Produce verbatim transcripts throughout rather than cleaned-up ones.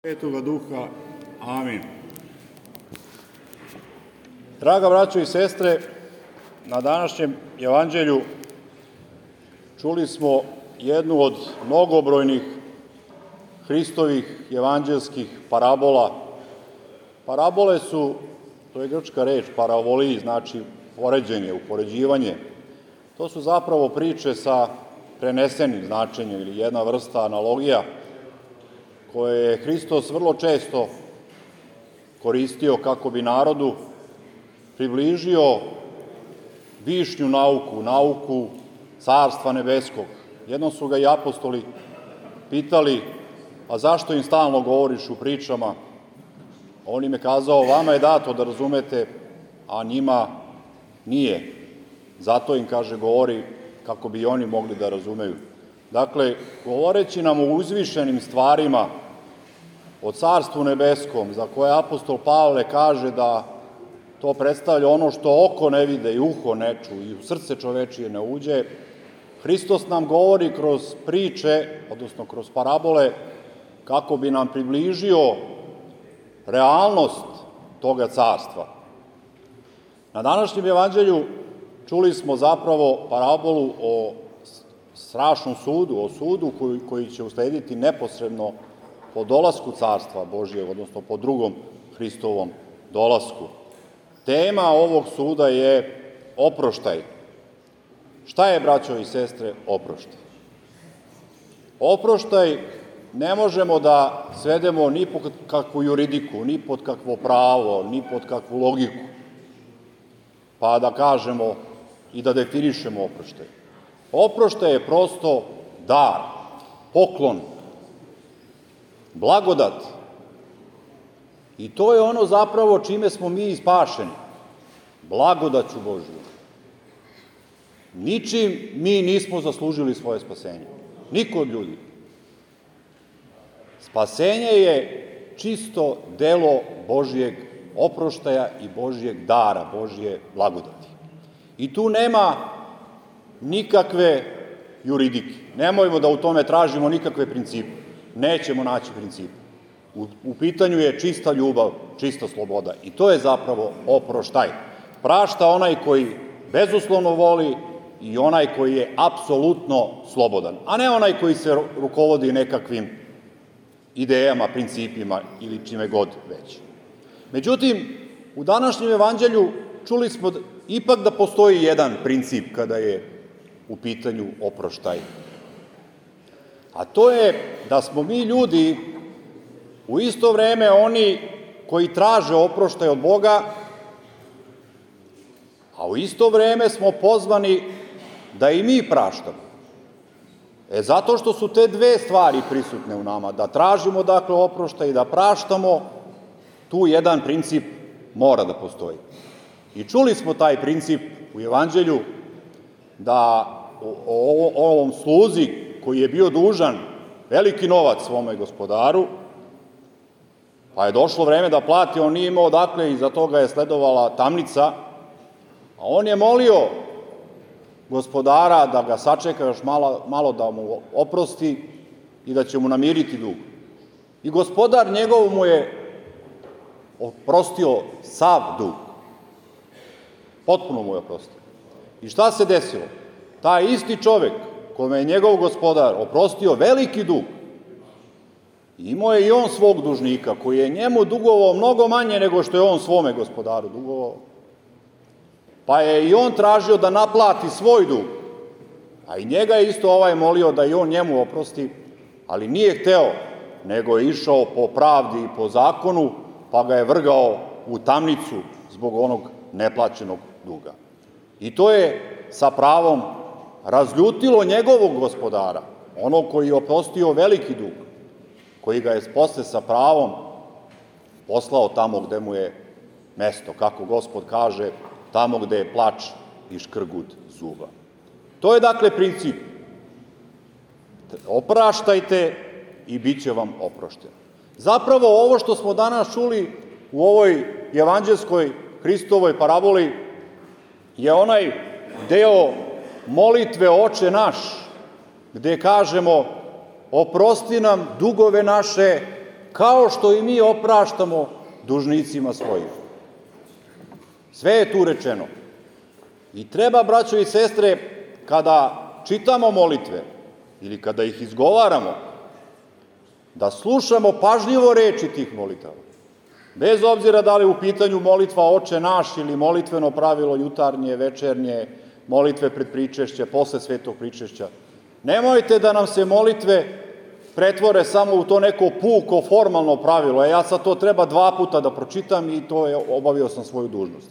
Svetoga Duha. Amin. Draga braćo i sestre, na današnjem evanđelju čuli smo jednu od mnogobrojnih Hristovih evanđelskih parabola. Parabole su, to je grčka reč, paravoliji, znači poređenje, upoređivanje. To su zapravo priče sa prenesenim značenjem ili jedna vrsta analogija koje je Hristos vrlo često koristio kako bi narodu približio višnju nauku, nauku Carstva nebeskog. Jednom su ga i apostoli pitali, a zašto im stalno govoriš u pričama? On im je kazao, vama je dato da razumete, a njima nije. Zato im, kaže, govori kako bi oni mogli da razumeju. Dakle, govoreći nam o uzvišenim stvarima, o Carstvu nebeskom, za koje apostol Pavle kaže da to predstavlja ono što oko ne vide i uho ne ču i u srce čovečije ne uđe, Hristos nam govori kroz priče, odnosno kroz parabole, kako bi nam približio realnost toga carstva. Na današnjem evanđelju čuli smo zapravo parabolu o strašnom sudu, o sudu koji, koji će uslediti neposredno po dolasku Carstva Božijeg, odnosno po drugom Hristovom dolasku. Tema ovog suda je oproštaj. Šta je, braćo i sestre, oproštaj? Oproštaj ne možemo da svedemo ni pod kakvu juridiku, ni pod kakvo pravo, ni pod kakvu logiku, pa da kažemo i da definišemo oproštaj. Oproštaj je prosto dar, poklon, blagodat. I to je ono zapravo čime smo mi spašeni, blagodaću Božju. Ničim mi nismo zaslužili svoje spasenje. Niko od ljudi. Spasenje je čisto delo Božijeg oproštaja i Božijeg dara, Božije blagodati. I tu nema nikakve juridike. Nemojmo da u tome tražimo nikakve principe. Nećemo naći principe. U, u pitanju je čista ljubav, čista sloboda. I to je zapravo oproštaj. Prašta onaj koji bezuslovno voli i onaj koji je apsolutno slobodan, a ne onaj koji se rukovodi nekakvim idejama, principima ili čime god već. Međutim, u današnjem evanđelju čuli smo da, ipak da postoji jedan princip kada je u pitanju oproštaj. A to je da smo mi ljudi u isto vreme oni koji traže oproštaj od Boga, a u isto vreme smo pozvani da i mi praštamo. E zato što su te dve stvari prisutne u nama, da tražimo dakle oproštaj i da praštamo, tu jedan princip mora da postoji. I čuli smo taj princip u evanđelju da o, o, o ovom sluzi koji je bio dužan veliki novac svome gospodaru, pa je došlo vreme da plati, on nije imao dakle i za toga je sledovala tamnica, a on je molio gospodara da ga sačeka još malo, malo da mu oprosti i da će mu namiriti dug. I gospodar njegov mu je oprostio sav dug. Potpuno mu je oprostio. I šta se desilo? Taj isti čovek kome je njegov gospodar oprostio veliki dug, imao je i on svog dužnika koji je njemu dugovao mnogo manje nego što je on svome gospodaru dugovao. Pa je i on tražio da naplati svoj dug, a i njega je isto ovaj molio da i on njemu oprosti, ali nije hteo, nego je išao po pravdi i po zakonu, pa ga je vrgao u tamnicu zbog onog neplaćenog duga. I to je sa pravom razljutilo njegovog gospodara, onog koji je oprostio veliki dug, koji ga je posle sa pravom poslao tamo gde mu je mesto, kako Gospod kaže, tamo gde je plač i škrgut zuba. To je dakle princip. Opraštajte i bit će vam oprošteno. Zapravo ovo što smo danas čuli u ovoj evanđelskoj Hristovoj paraboli je onaj deo molitve Oče naš, gde kažemo oprosti nam dugove naše kao što i mi opraštamo dužnicima svojim. Sve je tu rečeno. I treba, braćo i sestre, kada čitamo molitve ili kada ih izgovaramo, da slušamo pažljivo reči tih molitava. Bez obzira da li u pitanju molitva Oče naš ili molitveno pravilo jutarnje, večernje, molitve pred pričešće, posle svetog pričešća. Nemojte da nam se molitve pretvore samo u to neko puko formalno pravilo. E, ja sad to treba dva puta da pročitam i to je, obavio sam svoju dužnost.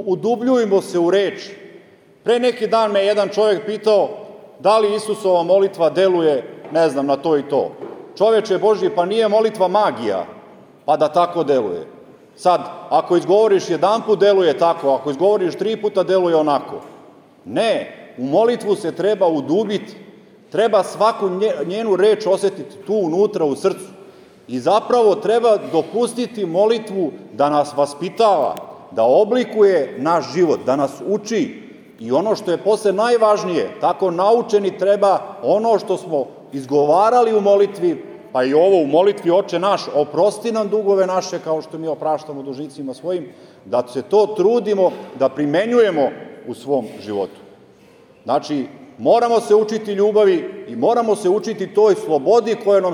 Udubljujmo se u reči. Pre neki dan me jedan čovjek pitao da li Isusova molitva deluje, ne znam, na to i to. Čoveče Božji, pa nije molitva magija, pa da tako deluje. Sad, ako izgovoriš jedan put, deluje tako, ako izgovoriš tri puta, deluje onako. Ne, u molitvu se treba udubiti, treba svaku njenu reč osetiti tu unutra u srcu i zapravo treba dopustiti molitvu da nas vaspitava, da oblikuje naš život, da nas uči i ono što je posle najvažnije, tako naučeni treba ono što smo izgovarali u molitvi, pa i ovo u molitvi Oče naš, oprosti nam dugove naše kao što mi opraštamo dužnicima svojim, da se to trudimo da primenjujemo u svom životu. Znači, moramo se učiti ljubavi i moramo se učiti toj slobodi koju nam,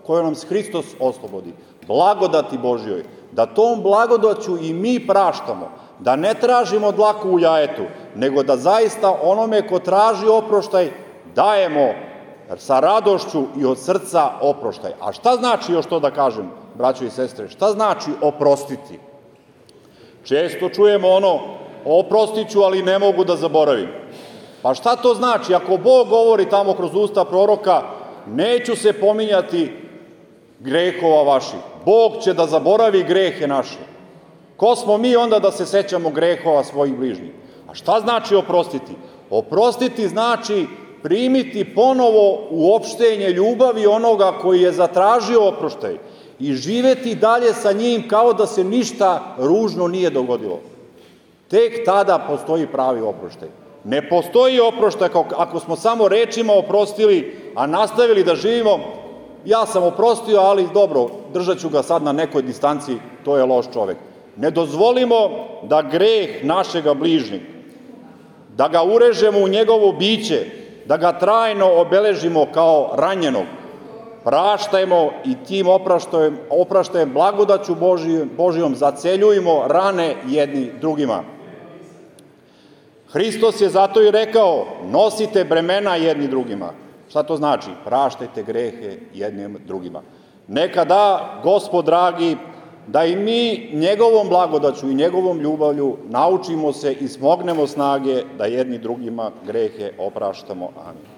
koju nam Hristos oslobodi, blagodati Božjoj, da tom blagodaću i mi praštamo, da ne tražimo dlaku u jajetu, nego da zaista onome ko traži oproštaj dajemo sa radošću i od srca oproštaj. A šta znači još to da kažem, braćo i sestre? Šta znači oprostiti? Često čujemo ono, oprostit ću, ali ne mogu da zaboravim. Pa šta to znači? Ako Bog govori tamo kroz usta proroka, neću se pominjati grehova vaših. Bog će da zaboravi grehe naše. Ko smo mi onda da se sećamo grehova svojih bližnjih? A šta znači oprostiti? Oprostiti znači primiti ponovo uopštenje ljubavi onoga koji je zatražio oproštaj i živeti dalje sa njim kao da se ništa ružno nije dogodilo. Tek tada postoji pravi oproštaj. Ne postoji oproštaj ako smo samo rečima oprostili, a nastavili da živimo, ja sam oprostio, ali dobro, držat ću ga sad na nekoj distanci, to je loš čovek. Ne dozvolimo da greh našega bližnjeg, da ga urežemo u njegovo biće, da ga trajno obeležimo kao ranjenog. Praštajmo i tim opraštajem, opraštajem blagodaću Božijom, Božijom zaceljujemo rane jedni drugima. Hristos je zato i rekao, nosite bremena jedni drugima. Šta to znači? Praštajte grehe jednim drugima. Neka da, Gospod dragi, da i mi njegovom blagodaću i njegovom ljubavlju naučimo se i smognemo snage da jedni drugima grehe opraštamo. Amin.